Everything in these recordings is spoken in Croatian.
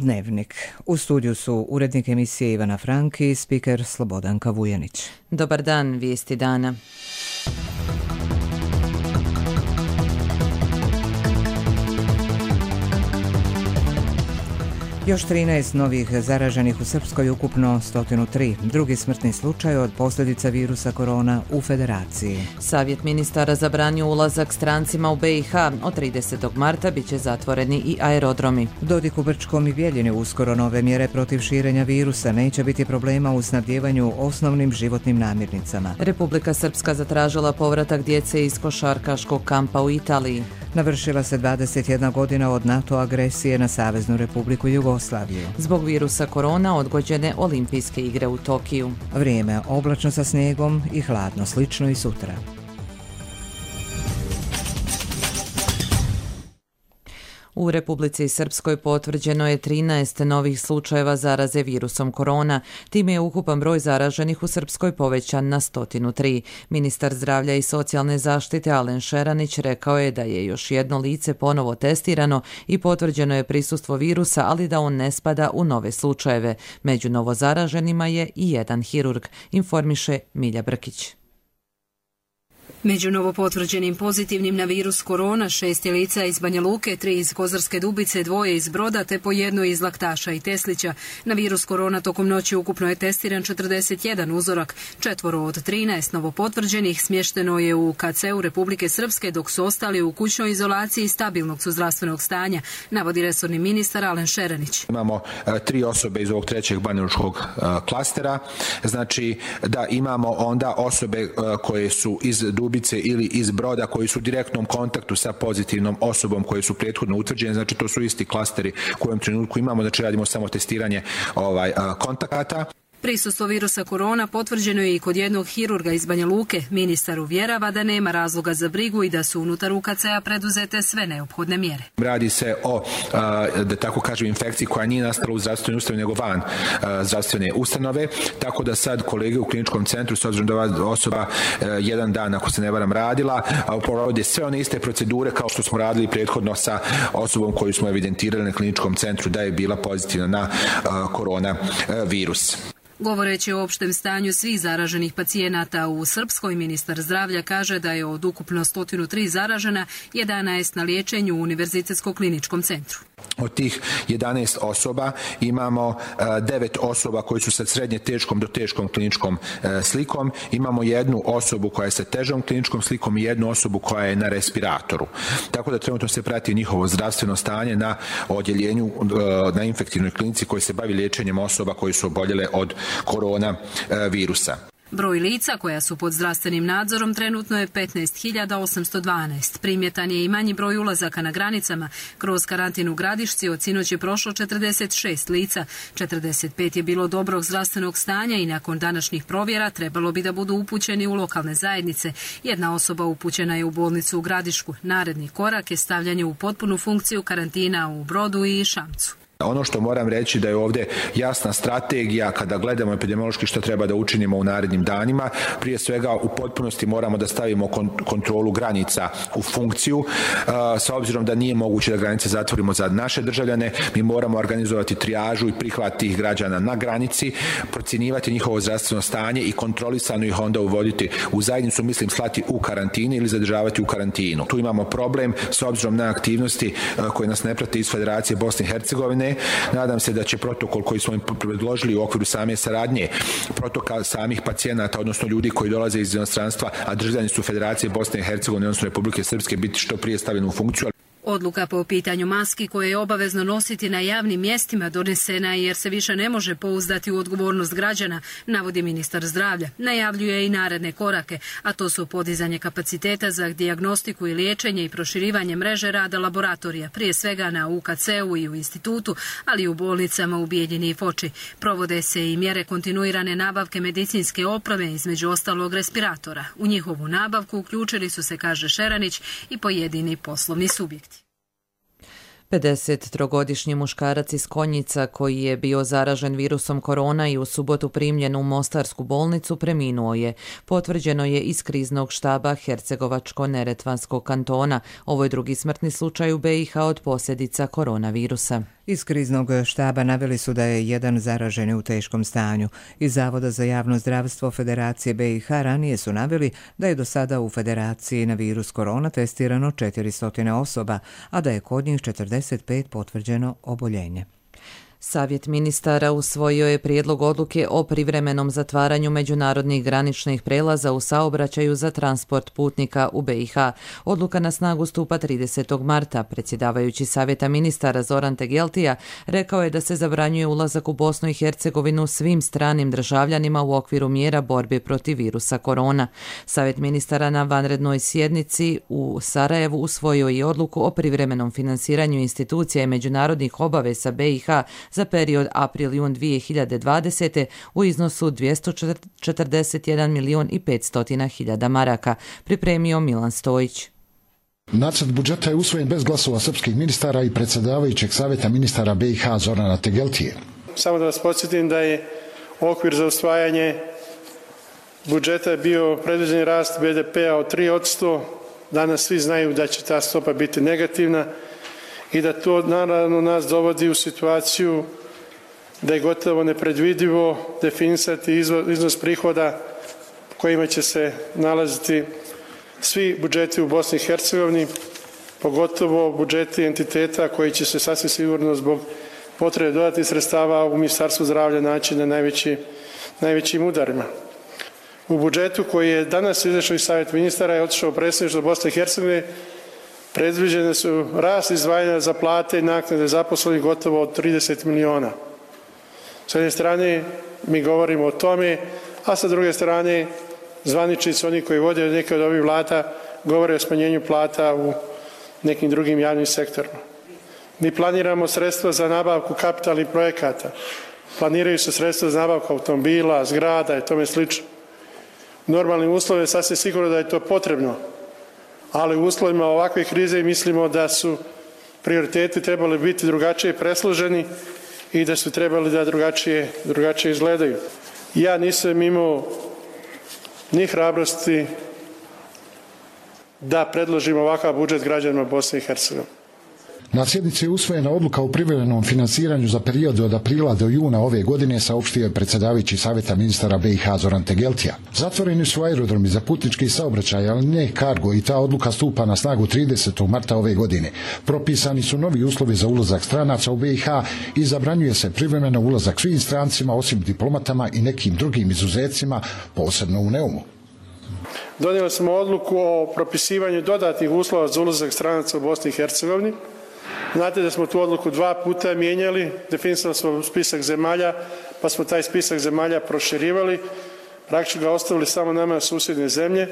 Dnevnik. U studiju su urednik emisije Ivana Franki i spiker Slobodanka Vujanić. Dobar dan, vijesti dana. Još 13 novih zaraženih u Srpskoj, ukupno 103. Drugi smrtni slučaj od posljedica virusa korona u Federaciji. Savjet ministara zabranio ulazak strancima u BiH. Od 30. marta bit će zatvoreni i aerodromi. Dodik u Brčkom i Bijeljini uskoro nove mjere protiv širenja virusa. Neće biti problema u snabdjevanju osnovnim životnim namirnicama. Republika Srpska zatražila povratak djece iz košarkaškog kampa u Italiji. Navršila se 21 godina od NATO agresije na Saveznu Republiku Jugoslaviju. Zbog virusa korona odgođene olimpijske igre u Tokiju. Vrijeme oblačno sa snijegom i hladno, slično i sutra. U Republici Srpskoj potvrđeno je 13 novih slučajeva zaraze virusom korona. Time je ukupan broj zaraženih u Srpskoj povećan na 103. Ministar zdravlja i socijalne zaštite Alen Šeranić rekao je da je još jedno lice ponovo testirano i potvrđeno je prisustvo virusa, ali da on ne spada u nove slučajeve. Među novozaraženima je i jedan hirurg, informiše Milja Brkić. Među novopotvrđenim pozitivnim na virus korona 6 je lica iz Banja Luke, 3 iz Kozarske Dubice, 2 iz Broda te po 1 iz Laktaša i Teslića. Na virus korona tokom noći ukupno je testiran 41 uzorak. 4 od 13 novopotvrđenih smješteno je u KC-u Republike Srpske, dok su ostali u kućnoj izolaciji stabilnog su zdravstvenog stanja, navodi resorni ministar Alen Šeranić. Imamo 3 osobe iz ovog trećeg banjalučkog klastera. Znači da imamo onda osobe koje su iz Dubice ili iz Broda koji su u direktnom kontaktu sa pozitivnom osobom koje su prethodno utvrđene, znači to su isti klasteri u kojem trenutku imamo, znači radimo samo testiranje kontakata. Prisustvo virusa korona potvrđeno je i kod jednog hirurga iz Banja Luke. Ministar uvjerava da nema razloga za brigu i da su unutar UKC-a preduzete sve neophodne mjere. Radi se o, da tako kažem, infekciji koja nije nastala u zdravstvenoj ustanovi nego van zdravstvene ustanove, tako da sad kolege u kliničkom centru, s obzirom da ova osoba jedan dan, ako se ne varam, radila, provode sve one iste procedure kao što smo radili prethodno sa osobom koju smo evidentirali na kliničkom centru da je bila pozitivna na korona virus. Govoreći o opštem stanju svih zaraženih pacijenata u Srpskoj, ministar zdravlja kaže da je od ukupno 103 zaražena 11 na liječenju u Univerzitetsko kliničkom centru. Od tih 11 osoba imamo 9 osoba koji su sa srednje teškom do teškom kliničkom slikom. Imamo jednu osobu koja je sa težom kliničkom slikom i jednu osobu koja je na respiratoru. Tako da trenutno se prati njihovo zdravstveno stanje na odjeljenju na infektivnoj klinici koji se bavi liječenjem osoba koji su oboljele od korona virusa. Broj lica koja su pod zdravstvenim nadzorom trenutno je 15.812. Primjetan je i manji broj ulazaka na granicama. Kroz karantin u Gradišci od sinoć je prošlo 46 lica. 45 je bilo dobrog zdravstvenog stanja i nakon današnjih provjera trebalo bi da budu upućeni u lokalne zajednice. Jedna osoba upućena je u bolnicu u Gradišku. Naredni korak je stavljanje u potpunu funkciju karantina u Brodu i Šamcu. Ono što moram reći da je ovdje jasna strategija kada gledamo epidemiološki što treba da učinimo u narednim danima. Prije svega u potpunosti moramo da stavimo kontrolu granica u funkciju. S obzirom da nije moguće da granice zatvorimo za naše državljane, mi moramo organizovati trijažu i prihvat tih građana na granici, procjenjivati njihovo zdravstveno stanje i kontrolisano ih onda uvoditi u zajednicu, mislim slati u karantinu ili zadržavati u karantinu. Tu imamo problem s obzirom na aktivnosti koje nas ne prate iz Federacije Bosne i Hercegovine. Nadam se da će protokol koji smo im predložili u okviru same saradnje, protokol samih pacijenata, odnosno ljudi koji dolaze iz inostranstva, a državljani su Federacije Bosne i Hercegovine, odnosno Republike Srpske, biti što prije stavljen u funkciju. Odluka po pitanju maski koje je obavezno nositi na javnim mjestima donesena jer se više ne može pouzdati u odgovornost građana, navodi ministar zdravlja. Najavljuje i naredne korake, a to su podizanje kapaciteta za dijagnostiku i liječenje i proširivanje mreže rada laboratorija, prije svega na UKC-u i u institutu, ali i u bolnicama u Bijeljini i Foči. Provode se i mjere kontinuirane nabavke medicinske opreme, između ostalog respiratora. U njihovu nabavku uključili su se, kaže Šeranić, i pojedini poslovni subjekti. 53-godišnji muškarac iz Konjica koji je bio zaražen virusom korona i u subotu primljen u Mostarsku bolnicu preminuo je. Potvrđeno je iz kriznog štaba Hercegovačko-Neretvanskog kantona. Ovo je drugi smrtni slučaj u BiH od posljedica koronavirusa. Iz kriznog štaba naveli su da je jedan zaraženi u teškom stanju. Iz Zavoda za javno zdravstvo Federacije BiH ranije su naveli da je do sada u Federaciji na virus korona testirano 400 osoba, a da je kod njih 45 potvrđeno oboljenje. Savjet ministara usvojio je prijedlog odluke o privremenom zatvaranju međunarodnih graničnih prelaza u saobraćaju za transport putnika u BiH. Odluka na snagu stupa 30. marta. Predsjedavajući Savjeta ministara Zoran Tegeltija rekao je da se zabranjuje ulazak u Bosnu i Hercegovinu svim stranim državljanima u okviru mjera borbe protiv virusa korona. Savjet ministara na vanrednoj sjednici u Sarajevu usvojio je odluku o privremenom finansiranju institucija i međunarodnih obaveza BiH za period april-jun 2020. u iznosu 241 milijon i 500 hiljada maraka, pripremio Milan Stojić. Nacrt budžeta je usvojen bez glasova srpskih ministara i predsjedavajućeg Savjeta ministara BiH Zorana Tegeltije. Samo da vas podsjetim da je okvir za usvajanje budžeta bio predviđen rast BDP-a od 3%. Danas svi znaju da će ta stopa biti negativna i da to naravno nas dovodi u situaciju da je gotovo nepredvidivo definisati iznos prihoda kojima će se nalaziti svi budžeti u Bosni i Hercegovini, pogotovo budžeti entiteta koji će se sasvim sigurno zbog potrebe dodatnih sredstava u Ministarstvu zdravlja naći na najvećim udarima. U budžetu koji je danas izašao iz Savjeta ministara je otišao u predsjedništvo Bosne i Hercegovine, predviđene su rast izdvajanja za plate i naknade zaposlenih gotovo od 30 miliona. S jedne strane mi govorimo o tome, a sa druge strane zvaničnici, oni koji vode neke od ovih vlada, govore o smanjenju plata u nekim drugim javnim sektorima. Mi planiramo sredstva za nabavku kapitalnih projekata. Planiraju se sredstva za nabavku automobila, zgrada i tome slično. U normalnim uslovima sasvim sigurno da je to potrebno, ali u uslovima ovakve krize mislimo da su prioriteti trebali biti drugačije presloženi i da su trebali da drugačije izgledaju. Ja nisam imao ni hrabrosti da predložim ovakav budžet građanima Bosne i Hercegovine. Na sjednici je usvojena odluka o privremenom finansiranju za period od aprila do juna ove godine, saopštio je predsjedavajući Savjeta ministara BiH Zoran Tegeltija. Zatvoreni su aerodromi za putnički saobraćaj, ali ne kargo, i ta odluka stupa na snagu 30. marta ove godine. Propisani su novi uslovi za ulazak stranaca u BiH i zabranjuje se privremeno ulazak svim strancima osim diplomatama i nekim drugim izuzecima, posebno u Neumu. Donijeli smo odluku o propisivanju dodatnih uslova za ulazak stranaca u Bosni i Hercegovini. Znate da smo tu odluku 2 puta mijenjali, definisali smo spisak zemalja, pa smo taj spisak zemalja proširivali, praktično ga ostavili samo nama susjedne zemlje.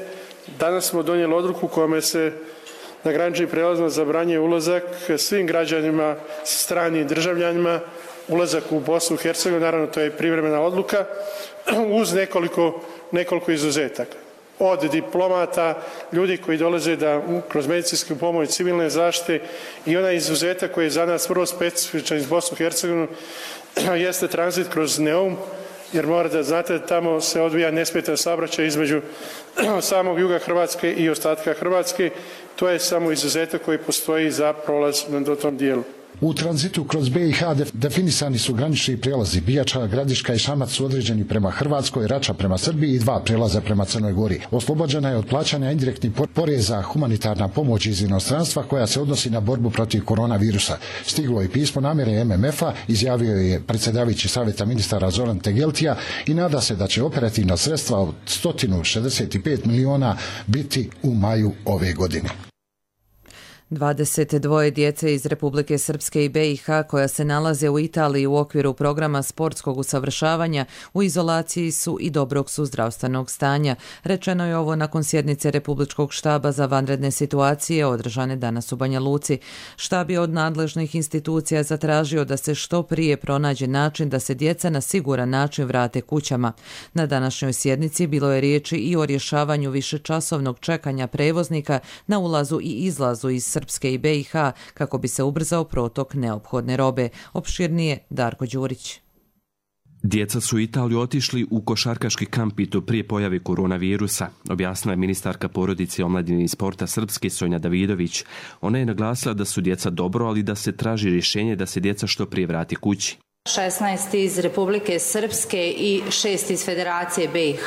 Danas smo donijeli odluku kojom se na graničnim prijelazima zabranjuje ulazak svim građanima, stranim državljanima, ulazak u Bosnu i Hercegovinu, naravno to je privremena odluka, uz nekoliko izuzetaka. Od diplomata, ljudi koji dolaze da kroz medicinsku pomoć, civilne zaštite i onaj izuzetak koji je za nas vrlo specifičan iz Bosnu i Hercegovinu jeste tranzit kroz Neum, jer morate da znate da tamo se odvija nesmetan saobraćaj između samog juga Hrvatske i ostatka Hrvatske. To je samo izuzetak koji postoji za prolaz na tom dijelu. U tranzitu kroz BiH definisani su granični prijelazi. Bijača, Gradiška i Šamac su određeni prema Hrvatskoj, Rača prema Srbiji i 2 prijelaza prema Crnoj Gori. Oslobođena je od plaćanja indirektnih poreza humanitarna pomoć iz inostranstva koja se odnosi na borbu protiv koronavirusa. Stiglo je pismo namjere MMF-a, izjavio je predsjedavajući Savjeta ministara Zoran Tegeltija i nada se da će operativna sredstva od 165 miliona biti u maju ove godine. 22 djece iz Republike Srpske i BiH koja se nalaze u Italiji u okviru programa sportskog usavršavanja u izolaciji su i dobrog su zdravstvenog stanja. Rečeno je ovo nakon sjednice Republičkog štaba za vanredne situacije održane danas u Banja Luci. Štab je od nadležnih institucija zatražio da se što prije pronađe način da se djeca na siguran način vrate kućama. Na današnjoj sjednici bilo je riječi i o rješavanju višečasovnog čekanja prevoznika na ulazu i izlazu iz Srpske i BiH kako bi se ubrzao protok neophodne robe. Opširnije Darko Đurić. Djeca su u Italiju otišli u košarkaški kamp i to prije pojave koronavirusa, objasnila je ministarka porodice, omladine i sporta Srpske Sonja Davidović. Ona je naglasila da su djeca dobro, ali da se traži rješenje da se djeca što prije vrati kući. 16 iz Republike Srpske i 6 iz Federacije BiH.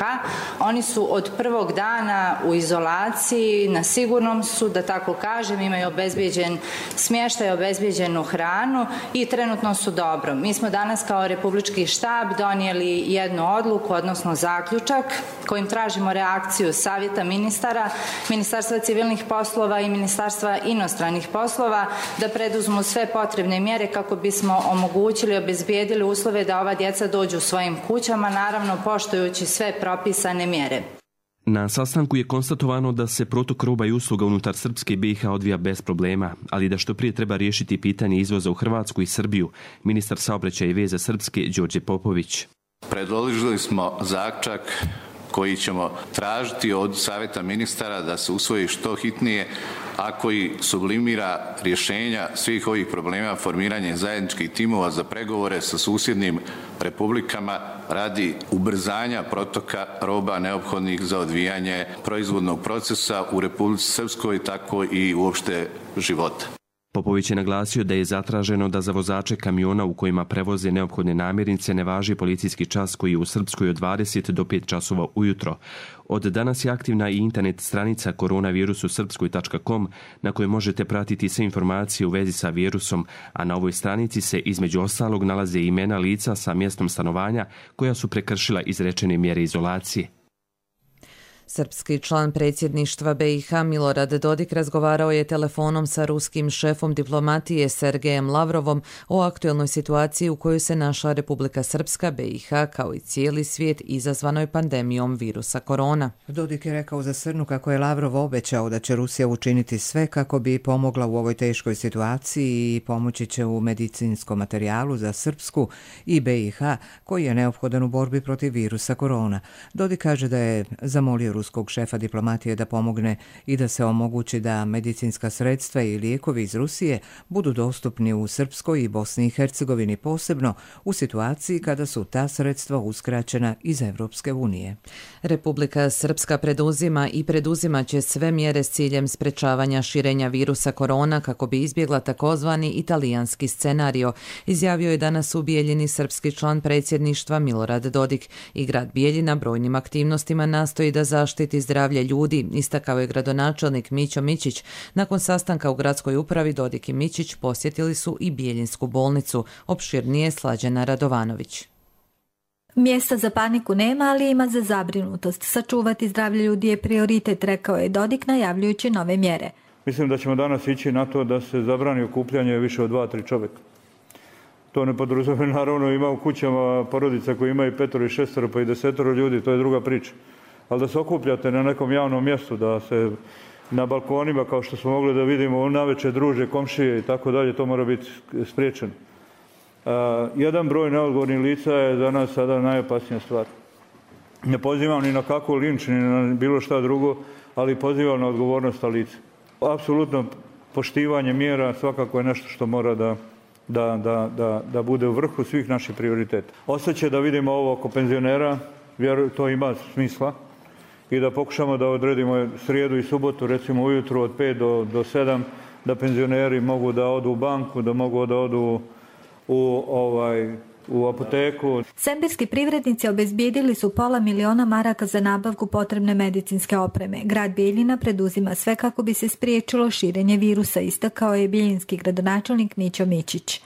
Oni su od prvog dana u izolaciji, na sigurnom su, da tako kažem, imaju obezbijeđen smještaj, obezbijeđenu hranu i trenutno su dobro. Mi smo danas kao Republički štab donijeli jednu odluku, odnosno zaključak, kojim tražimo reakciju Savjeta ministara, Ministarstva civilnih poslova i Ministarstva inostranih poslova da preduzmu sve potrebne mjere kako bismo omogućili obezbijedili uslove da ova djeca dođu svojim kućama, naravno poštujući sve propisane mjere. Na sastanku je konstatovano da se protok roba i usluga unutar Srpske i BiH odvija bez problema, ali da što prije treba riješiti pitanje izvoza u Hrvatsku i Srbiju, ministar saobraćaja i veza Srpske Đorđe Popović. Predložili smo zaključak koji ćemo tražiti od Savjeta ministara da se usvoji što hitnije, a koji sublimira rješenja svih ovih problema formiranje zajedničkih timova za pregovore sa susjednim republikama radi ubrzanja protoka roba neophodnih za odvijanje proizvodnog procesa u Republici Srpskoj, tako i uopšte života. Popović je naglasio da je zatraženo da za vozače kamiona u kojima prevoze neophodne namirnice ne važi policijski čas koji je u Srpskoj od 20 do 5 časova ujutro. Od danas je aktivna i internet stranica koronavirususrpskoj.com na kojoj možete pratiti sve informacije u vezi sa virusom, a na ovoj stranici se između ostalog nalaze imena lica sa mjestom stanovanja koja su prekršila izrečene mjere izolacije. Srpski član predsjedništva BiH Milorad Dodik razgovarao je telefonom sa ruskim šefom diplomatije Sergejem Lavrovom o aktuelnoj situaciji u kojoj se našla Republika Srpska, BiH kao i cijeli svijet izazvanoj pandemijom virusa korona. Dodik je rekao za Srnu kako je Lavrov obećao da će Rusija učiniti sve kako bi pomogla u ovoj teškoj situaciji i pomoći će u medicinskom materijalu za Srpsku i BiH koji je neophodan u borbi protiv virusa korona. Dodik kaže da je zamolio ruskog šefa diplomatije da pomogne i da se omogući da medicinska sredstva i lijekovi iz Rusije budu dostupni u Srpskoj i Bosni i Hercegovini, posebno u situaciji kada su ta sredstva uskraćena iz Evropske unije. Republika Srpska preduzima i preduzimat će sve mjere s ciljem sprečavanja širenja virusa korona kako bi izbjegla takozvani italijanski scenario, izjavio je danas u Bijeljini srpski član predsjedništva Milorad Dodik. I grad Bijeljina brojnim aktivnostima nastoji da zaštiti zdravlje ljudi, istakao je gradonačelnik Mićo Mićić. Nakon sastanka u gradskoj upravi Dodik i Mićić posjetili su i Bijeljinsku bolnicu, opširnije Slađana Radovanović. Mjesta za paniku nema, ali ima za zabrinutost. Sačuvati zdravlje ljudi je prioritet, rekao je Dodik najavljujući nove mjere. Mislim da ćemo danas ići na to da se zabrani okupljanje više od 2-3 čovjeka. To ne podrazumijeva, naravno ima u kućama porodica koji imaju 5 i 6 pa i 10 ljudi, to je druga priča. Ali da se okupljate na nekom javnom mjestu, da se na balkonima, kao što smo mogli da vidimo, navečer druže, komšije i tako dalje, to mora biti spriječeno. Jedan broj neodgovornih lica je za nas sada najopasnija stvar. Ne pozivam ni na kakvu linč, ni na bilo šta drugo, ali pozivam na odgovornost lica. Apsolutno poštivanje mjera svakako je nešto što mora da bude u vrhu svih naših prioriteta. Ostaće da vidimo ovo oko penzionera, to ima smisla, i da pokušamo da odredimo srijedu i subotu, recimo ujutru od 5 do 7, da penzioneri mogu da odu u banku, da mogu da odu u apoteku. Sembirski privrednici obezbijedili su $500.000 maraka za nabavku potrebne medicinske opreme. Grad Bijeljina preduzima sve kako bi se spriječilo širenje virusa, istakao je bijeljinski gradonačelnik Mićo Mićić.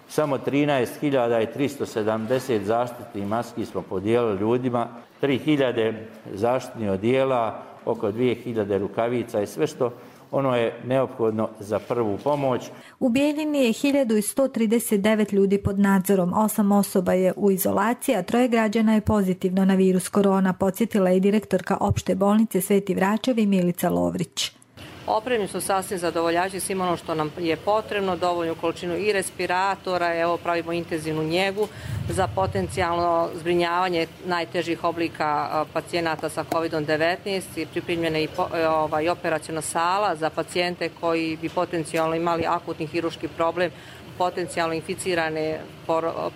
Samo 13.370 zaštitnih maski smo podijelili ljudima, 3.000 zaštitnih odijela, oko 2.000 rukavica i sve što ono je neophodno za prvu pomoć. U Bijeljini je 1139 ljudi pod nadzorom, 8 osoba je u izolaciji, a 3 građana je pozitivno na virus korona, podsjetila je direktorka opšte bolnice Sveti Vračevi Milica Lovrić. Opremljeni su sasvim zadovoljajući svim ono što nam je potrebno, dovoljnu količinu i respiratora, evo pravimo intenzivnu njegu za potencijalno zbrinjavanje najtežih oblika pacijenata sa COVID-19 i pripremljena i operaciona sala za pacijente koji bi potencijalno imali akutni hirurški problem potencijalno inficirane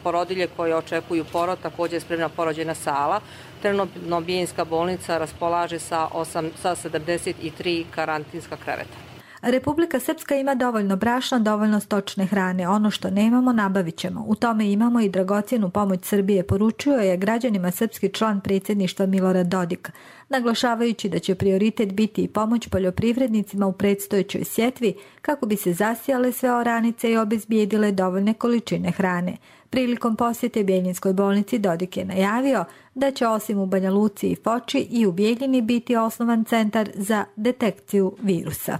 porodilje koje očekuju porod, također spremna porođajna sala. Trenutno Bijeljinska bolnica raspolaže sa 73 karantinska kreveta. Republika Srpska ima dovoljno brašna, dovoljno stočne hrane. Ono što nemamo, nabavit ćemo. U tome imamo i dragocjenu pomoć Srbije, poručio je građanima srpski član predsjedništva Milorad Dodik, naglašavajući da će prioritet biti i pomoć poljoprivrednicima u predstojećoj sjetvi kako bi se zasijale sve oranice i obezbijedile dovoljne količine hrane. Prilikom posjete Bijeljinskoj bolnici Dodik je najavio da će osim u Banja Luci i Foči i u Bijeljini biti osnovan centar za detekciju virusa.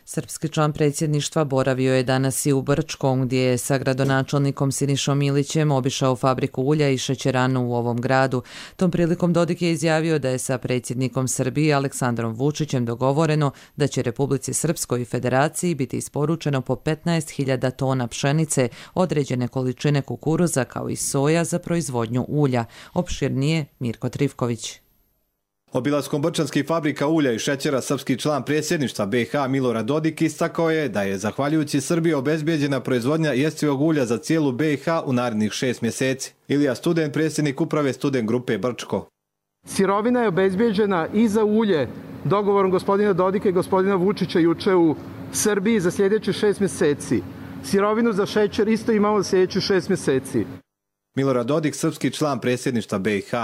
Srpski član predsjedništva boravio je danas i u Brčkom, gdje je sa gradonačelnikom Sinišom Milićem obišao fabriku ulja i šećeranu u ovom gradu. Tom prilikom Dodik je izjavio da je sa predsjednikom Srbije Aleksandrom Vučićem dogovoreno da će Republici Srpskoj i Federaciji biti isporučeno po 15.000 tona pšenice, određene količine kukuruza kao i soja za proizvodnju ulja. Opširnije Mirko Trivković. Obilaskom brčanskih fabrika ulja i šećera srpski član predsjedništva BiH Milorad Dodik istakao je da je zahvaljujući Srbiji obezbijeđena proizvodnja jestivog ulja za cijelu BiH u narednih 6 mjeseci. Ilija Student, predsjednik uprave Student grupe Brčko. Sirovina je obezbijeđena i za ulje dogovorom gospodina Dodika i gospodina Vučića juče u Srbiji za sljedećih 6 mjeseci. Sirovinu za šećer isto imamo za sljedećih 6 mjeseci. Milorad Dodik, srpski član predsjedništva BiH.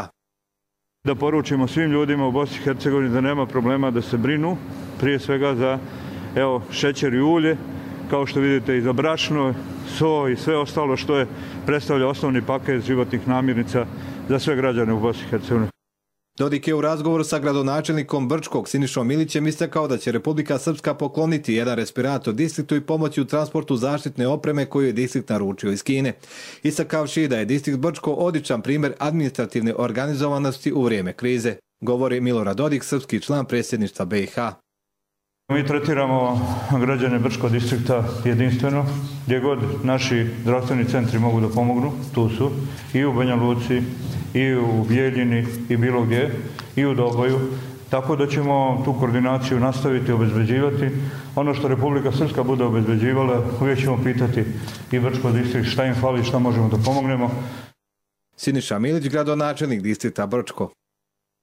Da poručimo svim ljudima u Bosni i Hercegovini da nema problema da se brinu, prije svega za šećer i ulje, kao što vidite i za brašno, so i sve ostalo što je predstavlja osnovni paket životnih namirnica za sve građane u Bosni i Hercegovini. Dodik je u razgovoru sa gradonačelnikom Brčkog Sinišom Milićem istakao da će Republika Srpska pokloniti jedan respirator distriktu i pomoći u transportu zaštitne opreme koju je distrikt naručio iz Kine. Istakavši da je distrikt Brčko odličan primjer administrativne organizovanosti u vrijeme krize, govori Milorad Dodik, srpski član predsjedništva BiH. Mi tretiramo građane Brčkog distrikta jedinstveno, gdje god naši zdravstveni centri mogu da pomognu, tu su, i u Banja Luci, i u Bijeljini, i bilo gdje, i u Doboju, tako da ćemo tu koordinaciju nastaviti obezbeđivati. Ono što Republika Srpska bude obezbeđivala, uvijek ćemo pitati i Brčkog distrikt šta im fali, šta možemo da pomognemo. Siniša Milić, gradonačelnik distrikta Brčko.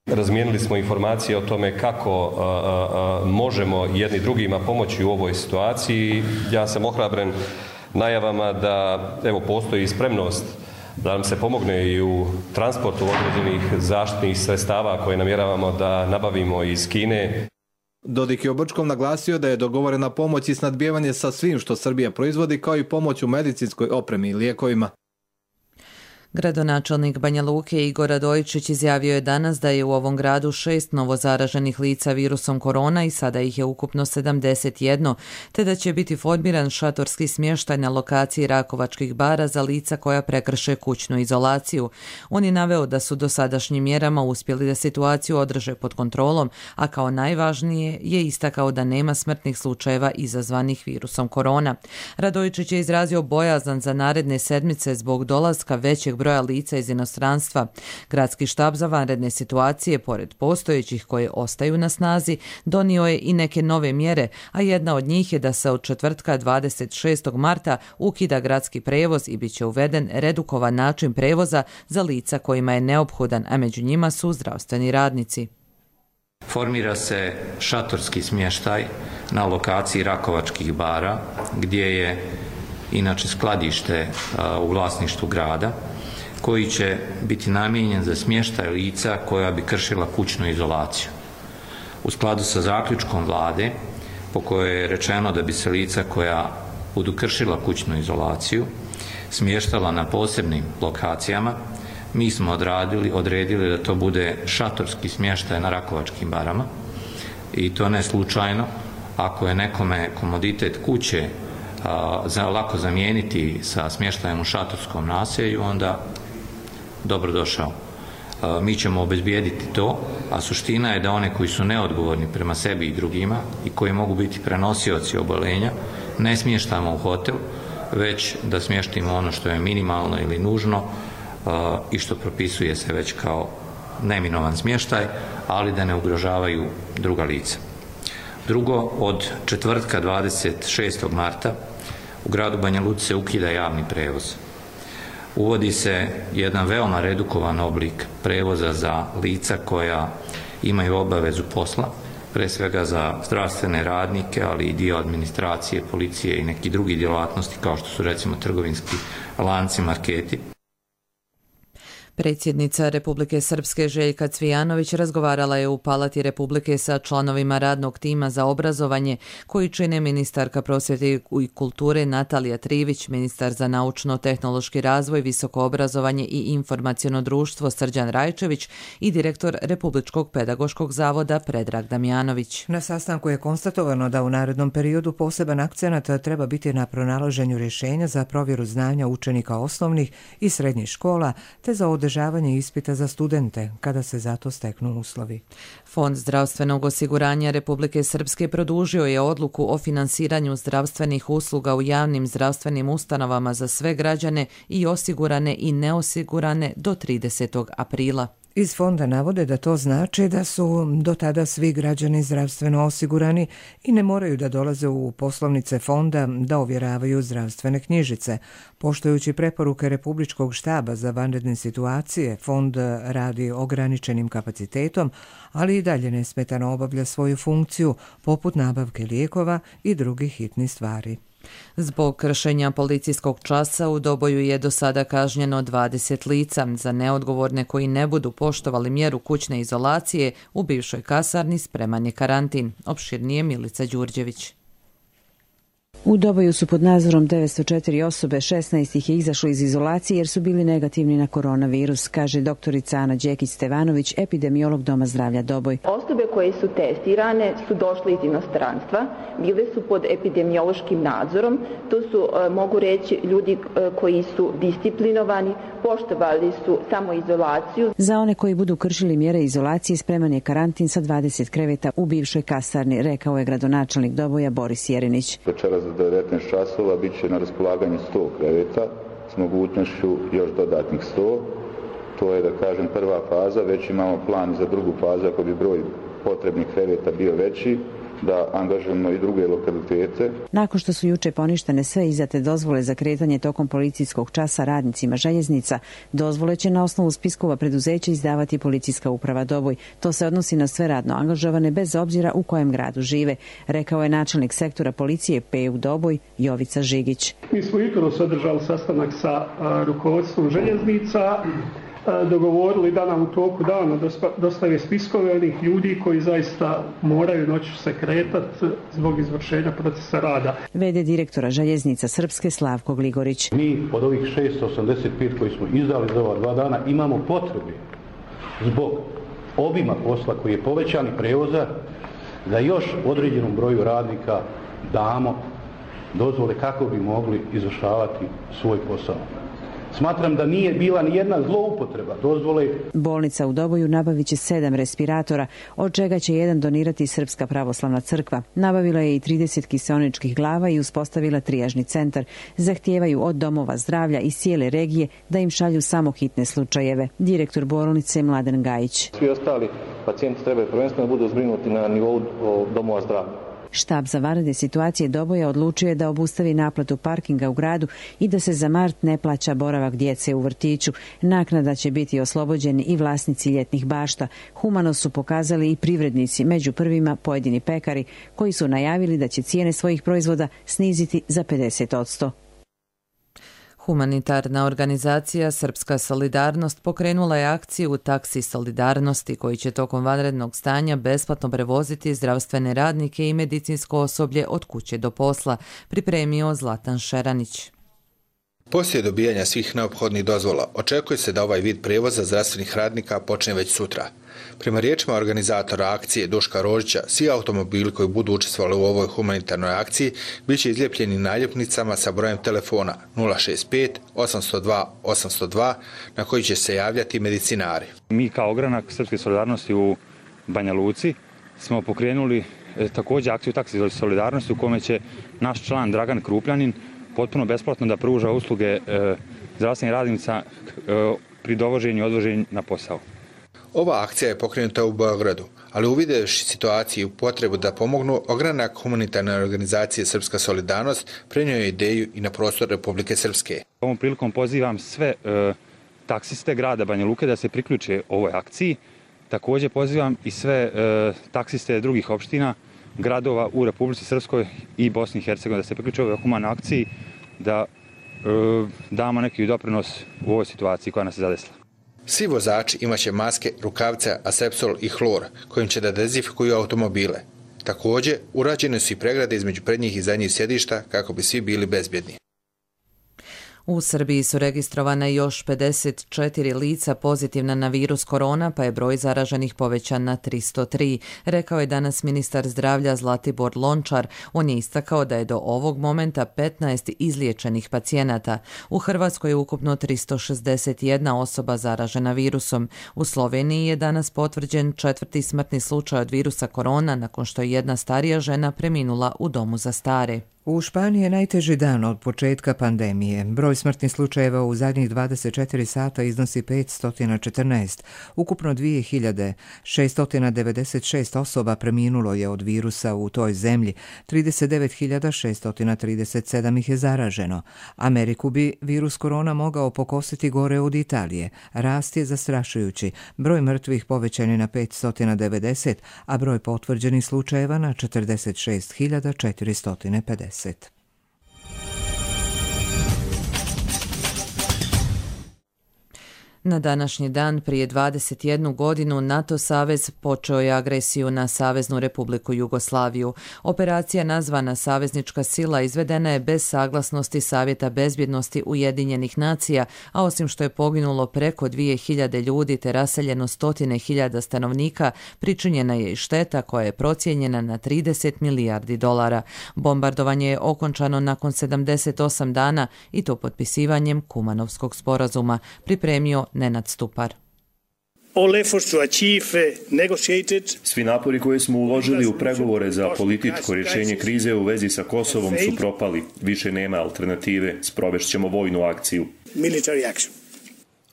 Razmijenili smo informacije o tome kako možemo jedni drugima pomoći u ovoj situaciji. Ja sam ohrabren najavama da postoji spremnost da nam se pomogne i u transportu određenih zaštitnih sredstava koje namjeravamo da nabavimo iz Kine. Dodik je u Brčkom naglasio da je dogovorena pomoć i snadbijevanje sa svim što Srbija proizvodi, kao i pomoć u medicinskoj opremi i lijekovima. Gradonačelnik Banja Luke Igor Radojičić izjavio je danas da je u ovom gradu 6 novozaraženih lica virusom korona i sada ih je ukupno 71, te da će biti formiran šatorski smještaj na lokaciji Rakovačkih bara za lica koja prekrše kućnu izolaciju. On je naveo da su dosadašnjim mjerama uspjeli da situaciju održe pod kontrolom, a kao najvažnije je istakao da nema smrtnih slučajeva izazvanih virusom korona. Radojičić je izrazio bojazan za naredne sedmice zbog dolaska većeg broja lica iz inostranstva. Gradski štab za vanredne situacije, pored postojećih koje ostaju na snazi, donio je i neke nove mjere, a jedna od njih je da se od četvrtka 26. marta ukida gradski prevoz i bit će uveden redukovan način prevoza za lica kojima je neophodan, a među njima su zdravstveni radnici. Formira se šatorski smještaj na lokaciji Rakovačkih bara, gdje je inače skladište u vlasništvu grada, koji će biti namijenjen za smještaj lica koja bi kršila kućnu izolaciju. U skladu sa zaključkom vlade, po kojoj je rečeno da bi se lica koja budu kršila kućnu izolaciju smještala na posebnim lokacijama, mi smo odredili da to bude šatorski smještaj na Rakovačkim barama, i to ne slučajno. Ako je nekome komoditet kuće lako zamijeniti sa smještajem u šatorskom naselju, onda dobrodošao. Mi ćemo obezbijediti to, a suština je da one koji su neodgovorni prema sebi i drugima i koji mogu biti prenosioci oboljenja ne smještamo u hotel, već da smještimo ono što je minimalno ili nužno i što propisuje se već kao neminovan smještaj, ali da ne ugrožavaju druga lica. Drugo, od četvrtka 26. marta u gradu Banja Luci se ukida javni prevoz. Uvodi se jedan veoma redukovan oblik prevoza za lica koja imaju obavezu posla, pre svega za zdravstvene radnike, ali i dio administracije, policije i neki drugi djelatnosti kao što su recimo trgovinski lanci, marketi. Predsjednica Republike Srpske Željka Cvijanović razgovarala je u Palati Republike sa članovima radnog tima za obrazovanje koji čine ministarka prosvjete i kulture Natalija Trivić, ministar za naučno-tehnološki razvoj, visoko obrazovanje i informaciono društvo Srđan Rajčević i direktor Republičkog pedagoškog zavoda Predrag Damjanović. Na sastanku je konstatovano da u narednom periodu poseban akcenat treba biti na pronalaženju rješenja za provjeru znanja učenika osnovnih i srednjih škola te za održavanje ispita za studente kada se za to steknu uslovi. Fond zdravstvenog osiguranja Republike Srpske produžio je odluku o finansiranju zdravstvenih usluga u javnim zdravstvenim ustanovama za sve građane i osigurane i neosigurane do 30. aprila. Iz fonda navode da to znači da su do tada svi građani zdravstveno osigurani i ne moraju da dolaze u poslovnice fonda da ovjeravaju zdravstvene knjižice. Poštujući preporuke Republičkog štaba za vanredne situacije, fond radi ograničenim kapacitetom, ali i dalje nesmetano obavlja svoju funkciju poput nabavke lijekova i drugih hitnih stvari. Zbog kršenja policijskog časa u Doboju je do sada kažnjeno 20 lica. Za neodgovorne koji ne budu poštovali mjeru kućne izolacije u bivšoj kasarni spreman je karantin. Opširnije Milica Đurđević. U Doboju su pod nadzorom 904 osobe, 16 ih je izašlo iz izolacije jer su bili negativni na koronavirus, kaže doktorica Ana Đekić-Stevanović, epidemiolog Doma zdravlja Doboj. Osobe koje su testirane su došle iz inostranstva, bile su pod epidemiološkim nadzorom, to su, mogu reći, ljudi koji su disciplinovani, poštovali su samoizolaciju. Za one koji budu kršili mjere izolacije spreman je karantin sa 20 kreveta u bivšoj kasarni, rekao je gradonačelnik Doboja Boris Jerinić. Večeras za 19 časova bit će na raspolaganju 100 kreveta s mogućnošću još dodatnih 100. To je, da kažem, prva faza, već imamo plan za drugu fazu ako bi broj potrebnih kreveta bio veći, da angažujemo i druge lokalitete. Nakon što su juče poništene sve izdate dozvole za kretanje tokom policijskog časa radnicima željeznica, dozvole će na osnovu spiskova preduzeća izdavati Policijska uprava Doboj. To se odnosi na sve radno angažovane bez obzira u kojem gradu žive, rekao je načelnik sektora policije PU Doboj Jovica Žigić. Mi smo jutros održali sastanak sa rukovodstvom željeznica, dogovorili da nam u toku dana dostave spiskove onih ljudi koji zaista moraju noću se kretati zbog izvršenja procesa rada. VD direktora željeznica Srpske Slavko Gligorić. Mi od ovih 685 koji smo izdali za ova 2 dana imamo potrebe zbog obima posla koji je povećani prevoza da još određenom broju radnika damo dozvole kako bi mogli izvršavati svoj posao. Smatram da nije bila ni jedna zloupotreba dozvole. Bolnica u Doboju nabavit će 7 respiratora, od čega će jedan donirati Srpska pravoslavna crkva. Nabavila je i 30 kiseoničkih glava i uspostavila trijažni centar. Zahtijevaju od domova zdravlja iz cijele regije da im šalju samo hitne slučajeve. Direktor bolnice Mladen Gajić. Svi ostali pacijenti trebaju prvenstveno budu zbrinuti na nivou domova zdravlja. Štab za vanredne situacije Doboja odlučio je da obustavi naplatu parkinga u gradu i da se za mart ne plaća boravak djece u vrtiću. Naknada će biti oslobođeni i vlasnici ljetnih bašta. Humano su pokazali i privrednici, među prvima pojedini pekari, koji su najavili da će cijene svojih proizvoda sniziti za 50%. Humanitarna organizacija Srpska solidarnost pokrenula je akciju Taksi solidarnosti koji će tokom vanrednog stanja besplatno prevoziti zdravstvene radnike i medicinsko osoblje od kuće do posla, pripremio Zlatan Šeranić. Poslije dobijanja svih neophodnih dozvola, očekuje se da ovaj vid prijevoza zdravstvenih radnika počne već sutra. Prema riječima organizatora akcije Duška Rožića, svi automobili koji budu učestvovali u ovoj humanitarnoj akciji bit će izlijepljeni naljepnicama sa brojem telefona 065 802 802 na koji će se javljati medicinari. Mi kao ogranak Srpske solidarnosti u Banja Luci smo pokrenuli također akciju Taksi solidarnosti u kome će naš član Dragan Krupljanin potpuno besplatno da pruža usluge zdravstvenih radnica pri dovoženju i odvoženju na posao. Ova akcija je pokrenuta u Beogradu, ali uvidjevši situaciju i potrebu da pomognu, ogranak humanitarne organizacije Srpska solidarnost prenio je ideju i na prostor Republike Srpske. Ovom prilikom pozivam sve taksiste grada Banja Luke da se priključe ovoj akciji. Također pozivam i sve taksiste drugih opština, gradova u Republici Srpskoj i Bosni i Hercegovini da se priključe ovoj humanoj akciji, da damo neki doprinos u ovoj situaciji koja nas je zadesila. Svi vozači imaće maske, rukavice, asepsol i hlor kojim će da dezinfikuju automobile. Također, urađene su i pregrade između prednjih i zadnjih sjedišta kako bi svi bili bezbjedni. U Srbiji su registrovana još 54 lica pozitivna na virus korona, pa je broj zaraženih povećan na 303, rekao je danas ministar zdravlja Zlatibor Lončar. On je istakao da je do ovog momenta 15 izliječenih pacijenata. U Hrvatskoj je ukupno 361 osoba zaražena virusom. U Sloveniji je danas potvrđen 4. smrtni slučaj od virusa korona nakon što je jedna starija žena preminula u domu za stare. U Španiji je najteži dan od početka pandemije. Broj smrtnih slučajeva u zadnjih 24 sata iznosi 514. Ukupno 2696 osoba preminulo je od virusa u toj zemlji. 39.637 ih je zaraženo. Ameriku bi virus korona mogao pokositi gore od Italije. Rast je zastrašujući. Broj mrtvih povećan je na 590, a broj potvrđenih slučajeva na 46.450. Na današnji dan prije 21 godinu NATO savez počeo je agresiju na Saveznu Republiku Jugoslaviju. Operacija nazvana Saveznička sila izvedena je bez saglasnosti Savjeta bezbjednosti Ujedinjenih nacija, a osim što je poginulo preko 2000 ljudi te raseljeno 100.000 stanovnika, pričinjena je i šteta koja je procijenjena na 30 milijardi dolara. Bombardovanje je okončano nakon 78 dana i to potpisivanjem Kumanovskog sporazuma, pripremio Nenad Stupar. Svi napori koje smo uložili u pregovore za političko rješenje krize u vezi sa Kosovom su propali. Više nema alternative. Sprovešćemo vojnu akciju.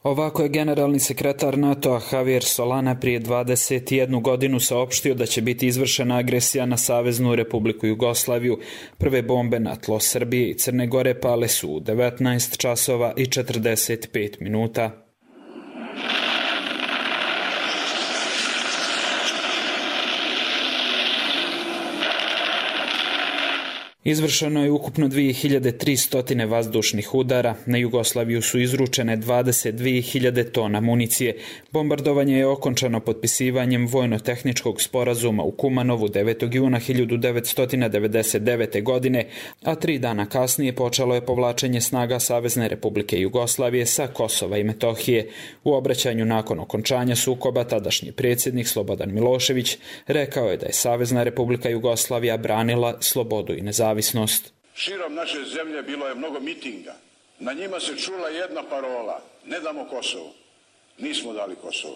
Ovako je generalni sekretar NATO-a Javier Solana prije 21 godinu saopštio da će biti izvršena agresija na Saveznu Republiku Jugoslaviju. Prve bombe na tlo Srbije i Crne Gore pale su u 19 časova i 45 minuta. Izvršeno je ukupno 2300 vazdušnih udara, na Jugoslaviju su izručene 22.000 tona municije. Bombardovanje je okončano potpisivanjem vojno-tehničkog sporazuma u Kumanovu 9. juna 1999. godine, a 3 dana kasnije počelo je povlačenje snaga Savezne Republike Jugoslavije sa Kosova i Metohije. U obraćanju nakon okončanja sukoba tadašnji predsjednik Slobodan Milošević rekao je da je Savezna Republika Jugoslavija branila slobodu i nezavisnost. Širom naše zemlje bilo je mnogo mitinga. Na njima se čula jedna parola: ne damo Kosovo. Nismo dali Kosovo.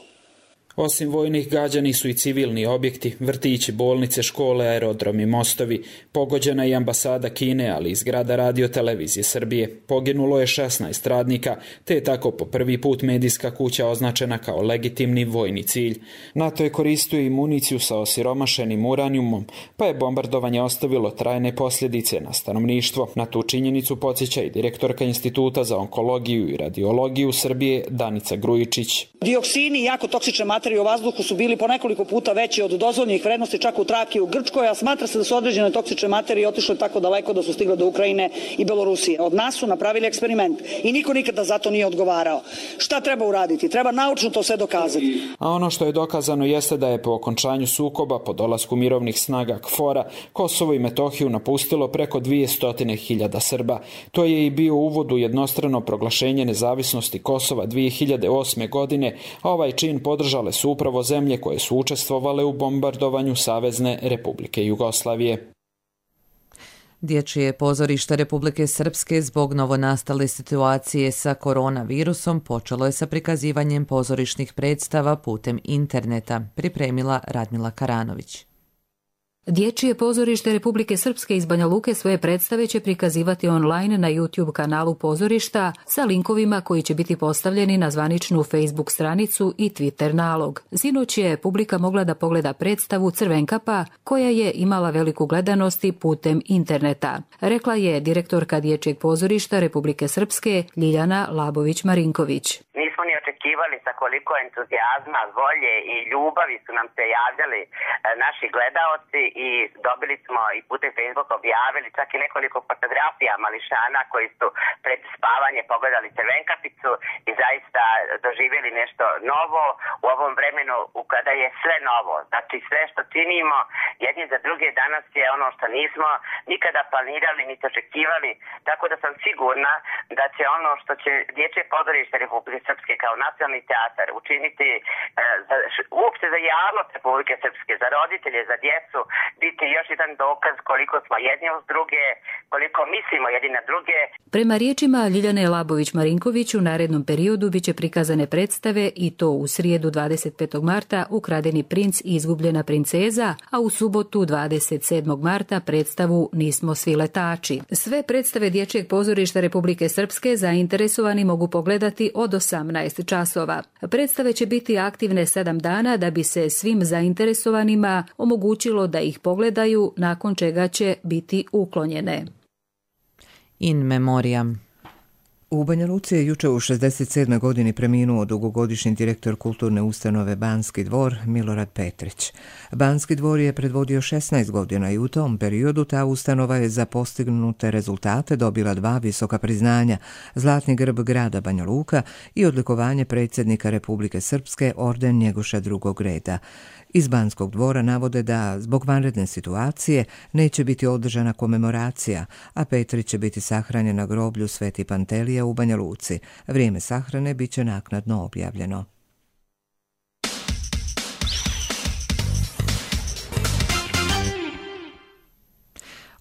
Osim vojnih gađani su i civilni objekti, vrtići, bolnice, škole, aerodromi, mostovi. Pogođena je i ambasada Kine, ali i zgrada Radio televizije Srbije. Poginulo je 16 radnika, te je tako po prvi put medijska kuća označena kao legitimni vojni cilj. NATO je koristio i municiju sa osiromašenim uranijumom, pa je bombardovanje ostavilo trajne posljedice na stanovništvo. Na tu činjenicu podsjeća i direktorka Instituta za onkologiju i radiologiju Srbije Danica Grujičić. Dioksini i jako toksične materije u vazduhu su bili po nekoliko puta veći od dozvoljenih vrednosti, čak u Traki u Grčkoj, a smatra se da su određene toksične materije otišle tako daleko da su stigle do Ukrajine i Belorusije. Od nas su napravili eksperiment i niko nikada za to nije odgovarao. Šta treba uraditi? Treba naučno to sve dokazati. A ono što je dokazano jeste da je po okončanju sukoba, po dolasku mirovnih snaga KFOR-a, Kosovo i Metohiju napustilo preko 200.000 Srba. To je i bio uvod u jednostrano proglašenje nezavisnosti Kosova 2008. godine, a ovaj čin podržale su upravo zemlje koje su učestvovale u bombardovanju Savezne Republike Jugoslavije. Dječje pozorište Republike Srpske zbog novonastale situacije sa koronavirusom počelo je sa prikazivanjem pozorišnih predstava putem interneta, pripremila Radmila Karanović. Dječje pozorište Republike Srpske iz Banja Luke svoje predstave će prikazivati online na YouTube kanalu pozorišta sa linkovima koji će biti postavljeni na zvaničnu Facebook stranicu i Twitter nalog. Sinoć je publika mogla da pogleda predstavu Crvenkapa koja je imala veliku gledanost putem interneta, rekla je direktorka Dječjeg pozorišta Republike Srpske Ljiljana Labović-Marinković. Nismo ni očekivali sa koliko entuzijazma, volje i ljubavi su nam se javljali naši gledaoci i dobili smo i putem Facebooka objavili čak i nekoliko fotografija mališana koji su pred spavanje pogledali Crvenkapicu i zaista doživjeli nešto novo u ovom vremenu kada je sve novo. Znači sve što činimo jedni za druge danas je ono što nismo nikada planirali niti očekivali, tako da sam sigurna da će ono što će Dječje pozorište Republike Srpske kao nacionalni teatar učiniti uopšte za javnost Republike Srpske, za roditelje, za djecu, biti još jedan dokaz koliko smo jedni uz druge, koliko mislimo jedni na druge. Prema riječima Ljiljane Labović-Marinković u narednom periodu biće prikazane predstave i to u srijedu 25. marta Ukradeni princ i izgubljena princeza, a u subotu 27. marta predstavu Nismo svi letači. Sve predstave Dječjeg pozorišta Republike Srpske zainteresovani mogu pogledati od 18 časova. Predstave će biti aktivne 7 dana da bi se svim zainteresovanima omogućilo da ih pogledaju, nakon čega će biti uklonjene. In memoriam. U Banja Luci je juče u 67. godini preminuo dugogodišnji direktor kulturne ustanove Banski dvor Milorad Petrić. Banski dvor je predvodio 16 godina i u tom periodu ta ustanova je za postignute rezultate dobila 2 visoka priznanja, Zlatni grb grada Banja Luka i odlikovanje predsjednika Republike Srpske orden Njegoša drugog reda. Iz Banskog dvora navode da zbog vanredne situacije neće biti održana komemoracija, a Petrić će biti sahranjen na groblju Sveti Pantelija u Banja Luci. Vrijeme sahrane bit će naknadno objavljeno.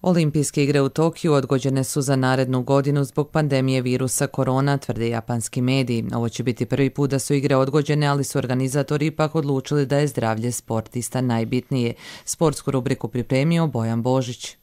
Olimpijske igre u Tokiju odgođene su za narednu godinu zbog pandemije virusa korona, tvrde japanski mediji. Ovo će biti prvi put da su igre odgođene, ali su organizatori ipak odlučili da je zdravlje sportista najbitnije. Sportsku rubriku pripremio Bojan Božić.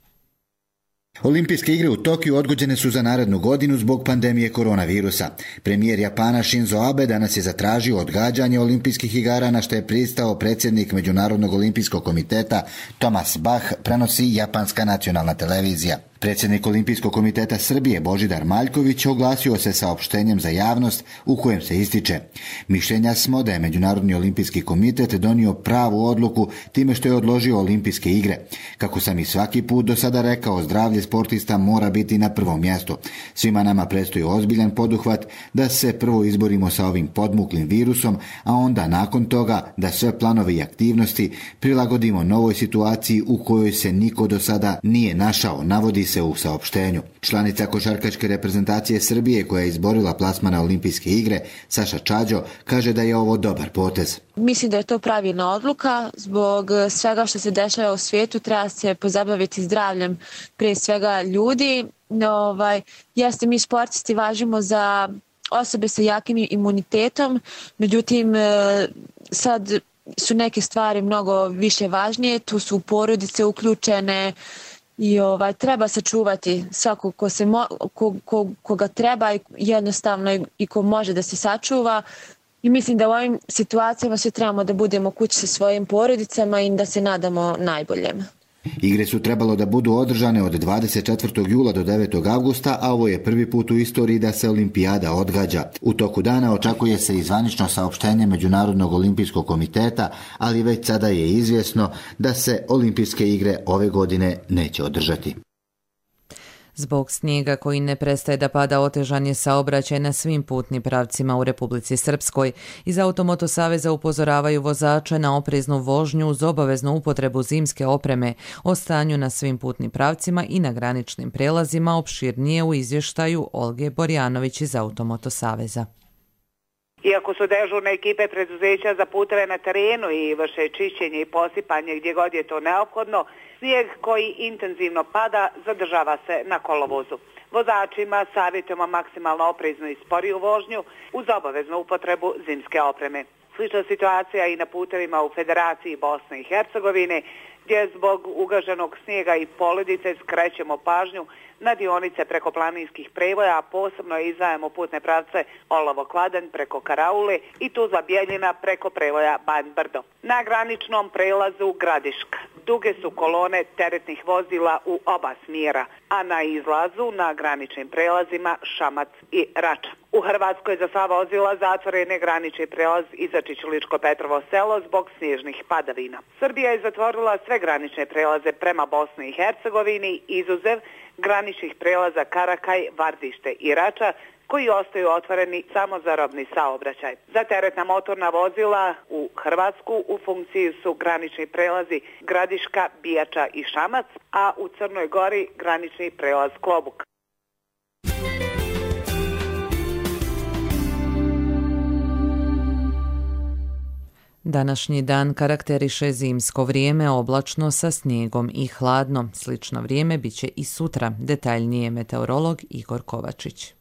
Olimpijske igre u Tokiju odgođene su za narednu godinu zbog pandemije koronavirusa. Premijer Japana Shinzo Abe danas je zatražio odgađanje olimpijskih igara, na što je pristao predsjednik Međunarodnog olimpijskog komiteta Thomas Bach, prenosi japanska nacionalna televizija. Predsjednik Olimpijskog komiteta Srbije Božidar Maljković oglasio se saopštenjem za javnost u kojem se ističe: mišljenja smo da je Međunarodni olimpijski komitet donio pravu odluku time što je odložio olimpijske igre. Kako sam i svaki put do sada rekao, zdravlje sportista mora biti na prvom mjestu. Svima nama predstoji ozbiljan poduhvat da se prvo izborimo sa ovim podmuklim virusom, a onda nakon toga da sve planove i aktivnosti prilagodimo novoj situaciji u kojoj se niko do sada nije našao, navodi se u saopštenju. Članica košarkaške reprezentacije Srbije koja je izborila plasman na olimpijske igre, Saša Čađo, kaže da je ovo dobar potez. Mislim da je to pravilna odluka. Zbog svega što se dešava u svijetu treba se pozabaviti zdravljem prije svega ljudi. Jeste, mi sportisti važimo za osobe sa jakim imunitetom, međutim sad su neke stvari mnogo više važnije, tu su porodice uključene i treba sačuvati svako koga treba i jednostavno i ko može da se sačuva. I mislim da u ovim situacijama svi trebamo da budemo kući sa svojim porodicama i da se nadamo najboljem. Igre su trebalo da budu održane od 24. jula do 9. avgusta, a ovo je prvi put u istoriji da se olimpijada odgađa. U toku dana očekuje se i zvanično saopštenje Međunarodnog olimpijskog komiteta, ali već sada je izvjesno da se olimpijske igre ove godine neće održati. Zbog snijega koji ne prestaje da pada, otežan je saobraćaj na svim putnim pravcima u Republici Srpskoj. Iz Automoto saveza upozoravaju vozače na opreznu vožnju uz obaveznu upotrebu zimske opreme. O stanju na svim putnim pravcima i na graničnim prelazima opširnije u izvještaju Olge Borjanović iz Automoto saveza. Iako su dežurne ekipe preduzeća za puteve na terenu i vrše čišćenje i posipanje gdje god je to neophodno, snijeg koji intenzivno pada zadržava se na kolovozu. Vozačima savjetujemo maksimalno opreznu i sporiju vožnju uz obaveznu upotrebu zimske opreme. Slična situacija i na putevima u Federaciji Bosne i Hercegovine, gdje zbog ugaženog snijega i poledice skrećemo pažnju na dionice preko planinskih prevoja, a posebno izdvajamo putne pravce Olovo-Kladanj preko Karaule i Tuzla-Bjeljina preko prevoja Banj-Brdo. Na graničnom prelazu Gradiška duge su kolone teretnih vozila u oba smjera, a na izlazu na graničnim prelazima Šamac i Rača. U Hrvatskoj za sva vozila zatvoren je granični prelaz Izačić-Ličko-Petrovo selo zbog snježnih padavina. Srbija je zatvorila sve granične prelaze prema Bosni i Hercegovini, izuzev graničnih prelaza Karakaj, Vardište i Rača, koji ostaju otvoreni samo za robni saobraćaj. Za teretna motorna vozila u Hrvatsku u funkciji su granični prelazi Gradiška, Bijača i Šamac, a u Crnoj Gori granični prelaz Klobuk. Današnji dan karakteriše zimsko vrijeme, oblačno sa snijegom i hladno. Slično vrijeme bit će i sutra. Detaljnije meteorolog Igor Kovačić.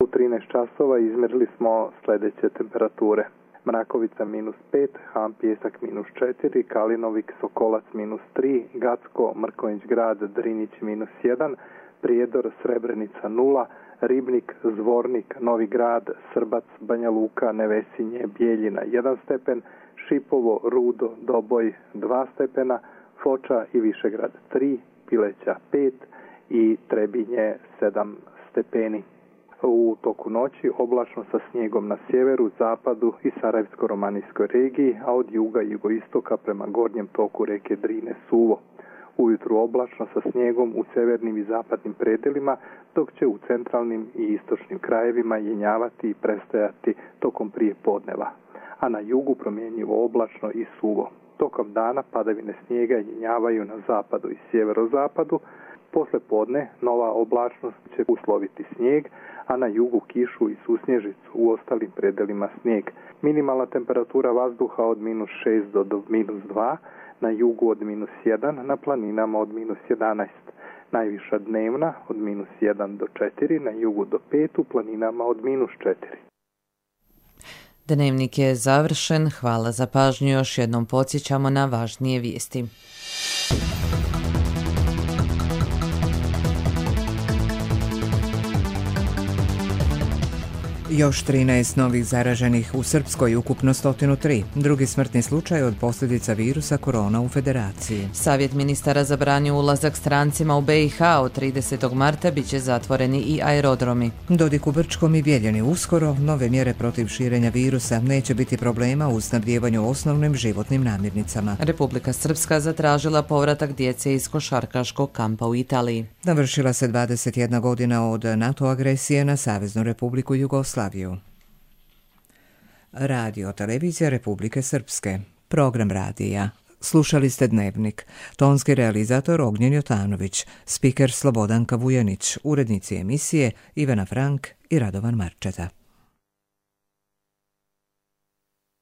U 13 časova izmjerili smo sljedeće temperature. Mrakovica -5, Ham Pijesak -4, Kalinovik, Sokolac -3, Gacko, Mrkonjić Grad, Drinić -1, Prijedor, Srebrenica 0, Ribnik, Zvornik, Novi Grad, Srbac, Banja Luka, Nevesinje, Bijeljina 1 stepen, Šipovo, Rudo, Doboj 2 stepena, Foča i Višegrad 3, Pileća 5 i Trebinje 7 stepeni. U toku noći oblačno sa snijegom na sjeveru, zapadu i Sarajevsko-romanijskoj regiji, a od juga i jugoistoka prema gornjem toku reke Drine suvo. Ujutru oblačno sa snijegom u sjevernim i zapadnim predelima, dok će u centralnim i istočnim krajevima jenjavati i prestajati tokom prije podneva, a na jugu promjenjivo oblačno i suvo. Tokom dana padavine snijega jenjavaju na zapadu i sjeverozapadu. Posle podne nova oblačnost će usloviti snijeg, a na jugu kišu i susnježicu, u ostalim predelima snijeg. Minimalna temperatura vazduha od -6 do -2, na jugu od -1, na planinama od -11. Najviša dnevna od -1 do 4, na jugu do 5, u planinama od -4. Dnevnik je završen. Hvala za pažnju. Još jednom podsjećamo na važnije vijesti. Još 13 novih zaraženih u Srpskoj, ukupno 103. Drugi smrtni slučaj od posljedica virusa korona u Federaciji. Savjet ministara zabranio ulazak strancima u BiH. Od 30. marta bit će zatvoreni i aerodromi. Dodik u Brčkom i Bijeljini uskoro. Nove mjere protiv širenja virusa. Neće biti problema u snabdijevanju osnovnim životnim namirnicama. Republika Srpska zatražila povratak djece iz košarkaškog kampa u Italiji. Navršila se 21 godina od NATO agresije na Saveznu Republiku Jugoslaviju. Radio televizija Republike Srpske. Program radija. Slušali ste Dnevnik. Tonski realizator Ognjen Jotanović. Spiker Slobodanka Vujanić. Urednici emisije Ivana Frank i Radovan Marčeta.